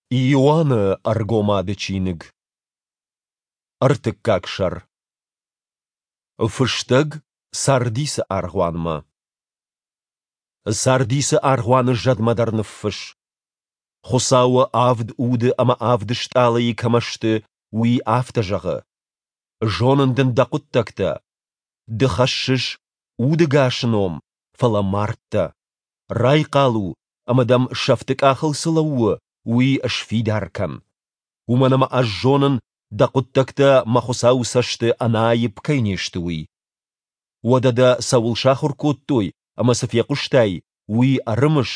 Иоанны Ӕргомады чиныг. Ӕртыккаг сӕр. Фыстӕг Сардисы аргъуанмӕ. Сардисы аргъуаны зӕдмӕ дӕр ныффысс. Хуыцауы авд уды ӕмӕ авд стъалыйы кӕмӕ сты, уый афтӕ зӕгъы: Зонын дын дӕ хъуыддӕгтӕ. Ды хӕссыс удыгасы ном, фӕлӕ мард дӕ. Райхъал у ӕмӕ дӕм сӕфты къахыл цы лӕууы, уый сфидар кӕн. Уымӕн ӕмӕ ӕз зонын, дӕ хъуыддӕгтӕ мӕ Хуыцауы цӕсты ӕнӕаипп кӕй не сты, уый. Уӕдӕ дӕ цӕуыл сахуыр кодтой ӕмӕ цы фехъуыстай, уый ӕрымыс,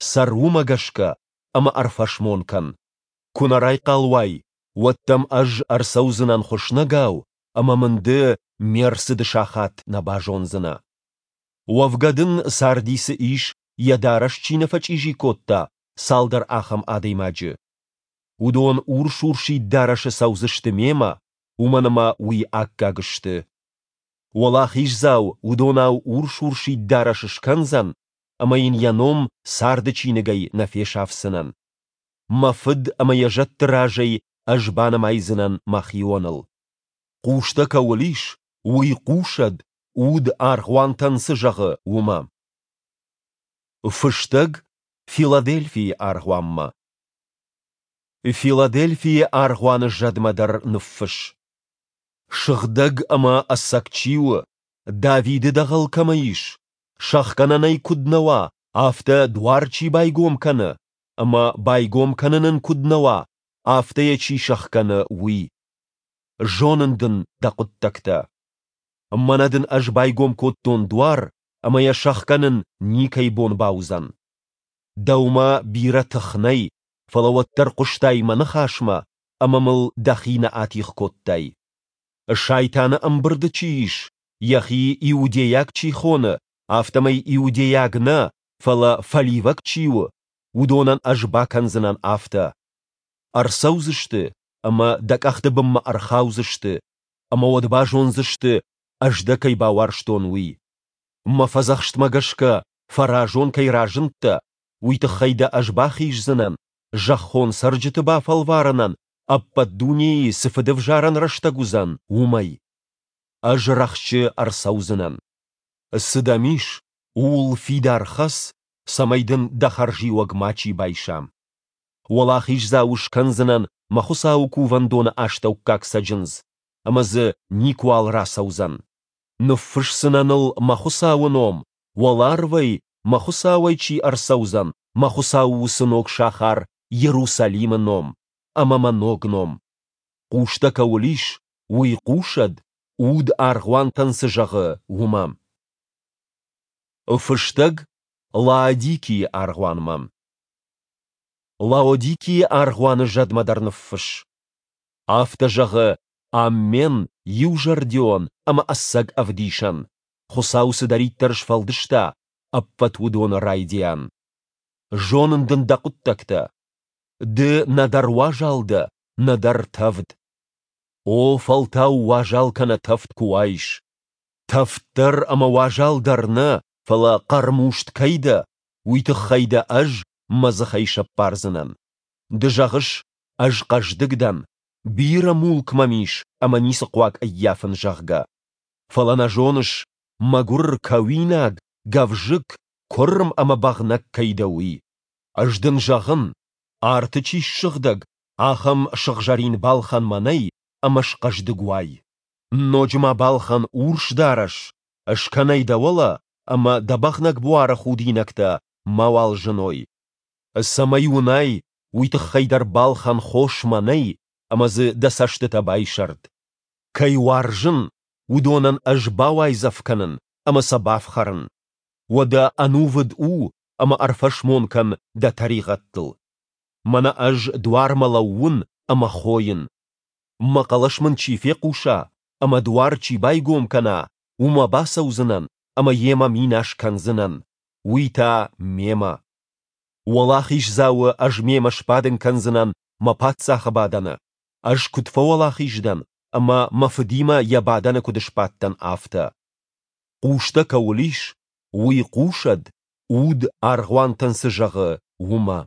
цӕр уымӕ гӕсгӕ ӕмӕ ӕрфӕсмон кӕн. Куы нӕ райхъал уай, уӕд дӕм ӕз ӕрцӕудзынӕн хуыснӕгау, ӕмӕ мын ды ме рцыды сахат нӕ базондзынӕ. Уӕвгӕ дын Сардисы ис, йӕ дарӕс чи нӕ фӕчъизи кодта, цалдӕр ахӕм адӕймаджы. Уыдон урс-урсид дарӕсы цӕудзысты мемӕ, уымӕн ӕмӕ уый аккаг сты. Уӕлахиздзау уыдонау урс-урсид дарӕс скӕндзӕн, ӕмӕ йын йӕ ном царды чиныгӕй нӕ фесафдзынӕн. Мӕ Фыд ӕмӕ йӕ зӕдты разӕй ӕз банымайдзынӕн мӕхионыл. Хъустӕ кӕуыл ис, уый хъусӕд, уд аргъуантӕн цы зӕгъы, уымӕ. Фыстӕг Филадельфийы аргъуанмӕ. Филадельфийы аргъуаны зӕдмӕ дӕр ныффысс. Сыгъдӕг ӕмӕ ӕцӕг чи у, Давиды дӕгъӕл кӕмӕ ис, сӕхгӕнӕн ӕй куыд нӕ уа, афтӕ дуар чи байгом кӕны, ӕмӕ байгом кӕнын ын куыд нӕ уа, афтӕ йӕ чи сӕхгӕны, уый. Зонын дын дӕ хъуыддӕгтӕ. Мӕнӕ дын ӕз байгом кодтон дуар, ӕмӕ йӕ сӕхгӕнын никӕй бон бауыдзӕн. Дӕумӕ бирӕ тых нӕй, фӕлӕ уӕддӕр хъуыстай мӕ ныхасмӕ ӕмӕ мыл дӕхи нӕ атигъ кодтай. Сайтаны ӕмбырды чи ис, йӕхи иудейаг чи хоны, афтӕмӕй иудейаг нӕ, фӕлӕ фӕливӕг чи у, уыдонӕн ӕз бакӕндзынӕн афтӕ. Ӕрцӕудзысты ӕмӕ дӕ къӕхты бынмӕ ӕрхаудзысты, ӕмӕ уӕд базондзысты, ӕз дӕ кӕй бауарзтон, уый. Мӕ фӕдзӕхстмӕ гӕсгӕ фӕразон кӕй разындтӕ, уый тыххӕй дӕ ӕз бахиздзынӕн, зӕххон цӕрджыты бафӕлварынӕн ӕппӕт дунейы цы фыдӕвзарӕн рӕстӕг уыдзӕн, уымӕй. Ӕз рӕхджы ӕрцӕудзынӕн. Цы дӕм ис, ууыл фидар хӕц, цӕмӕй дын дӕ хӕрзиуӕг мачи байса. Уӕлахиздзау скӕндзынӕн мӕ Хуыцауы кувӕндоны астӕуккаг цӕджындз, ӕмӕ дзы никуал рацӕудзӕн. Ныффысдзынӕн ыл мӕ Хуыцауы ном, уӕларвӕй мӕ Хуыцауӕй чи ӕрцӕудзӕн, мӕ Хуыцауы уыцы ног сахар Иерусалимы ном ӕмӕ мӕ ног ном. Хъустӕ кӕуыл ис, уый хъусӕд, уд аргъуантӕн цы зӕгъы, уымӕ. Фыстӕг Лаодикийы аргъуанмӕ. Лаодикийы аргъуаны зӕдмӕ дӕр ныффысс. Афтӕ зӕгъы Аммен, иузӕрдион ӕмӕ ӕцӕг ӕвдисӕн, Хуыцау цыдӕриддӕр сфӕлдыста, ӕппӕт уыдоны райдиан. Зонын дын дӕ хъуыддӕгтӕ. Ды нӕдӕр уазал дӕ, нӕдӕр тӕвд. О, фӕлтау уазал кӕнӕ тӕвд куы уаис. Тӕвд дӕр ӕмӕ уазал дӕр нӕ, фӕлӕ хъӕрмуст кӕй дӕ, уый тыххӕй дӕ ӕз мӕ дзыхӕй сӕппардзынӕн. Ды зӕгъыс, ӕз хъӕздыг дӕн, бирӕ мулк мӕм ис ӕмӕ ницы хъуаг ӕййафын, зӕгъгӕ. Фӕлӕ нӕ зоныс, мӕгуыр, кӕуинаг, гӕвзыкк, куырм ӕмӕ бӕгънӕг кӕй дӕ, уый. Ӕз дын зӕгъын, арты чи ссыгъдӕг, ахӕм сыгъзӕрин балхӕн мӕнӕй ӕмӕ схъӕздыг уай. Ноджы ма балхӕн урс дарӕс, скӕн ӕй дӕ уӕлӕ ӕмӕ дӕ бӕгънӕг буары худинӕгтӕ мауал зыной. Цӕмӕй уынай, уый тыххӕй дӕр балхӕн хос мӕнӕй ӕмӕ дзы дӕ цӕстытӕ байсӕрд. Кӕй уарзын, уыдонӕн ӕз бауайдзӕф кӕнын ӕмӕ сӕ бафхӕрын. Уӕдӕ ӕнувыд у ӕмӕ ӕрфӕсмон кӕн дӕ тӕригъӕдтыл. Мӕнӕ ӕз дуармӕ лӕууын ӕмӕ хойын. Мӕ хъӕлӕс мын чи фехъуса ӕмӕ дуар чи байгом кӕна, уымӕ бацӕудзынӕн ӕмӕ йемӕ минас кӕндзынӕн, уый та мемӕ. Уӕлахиздзауы ӕз мемӕ сбадын кӕндзынӕн мӕ паддзахы бадӕны, ӕз куыд фӕуӕлахиз дӕн ӕмӕ мӕ фыдимӕ йӕ бадӕны куыд сбадтӕн, афтӕ. Хъустӕ кӕуыл ис, уый хъусӕд, уд аргъуантӕн цы зӕгъы, уымӕ.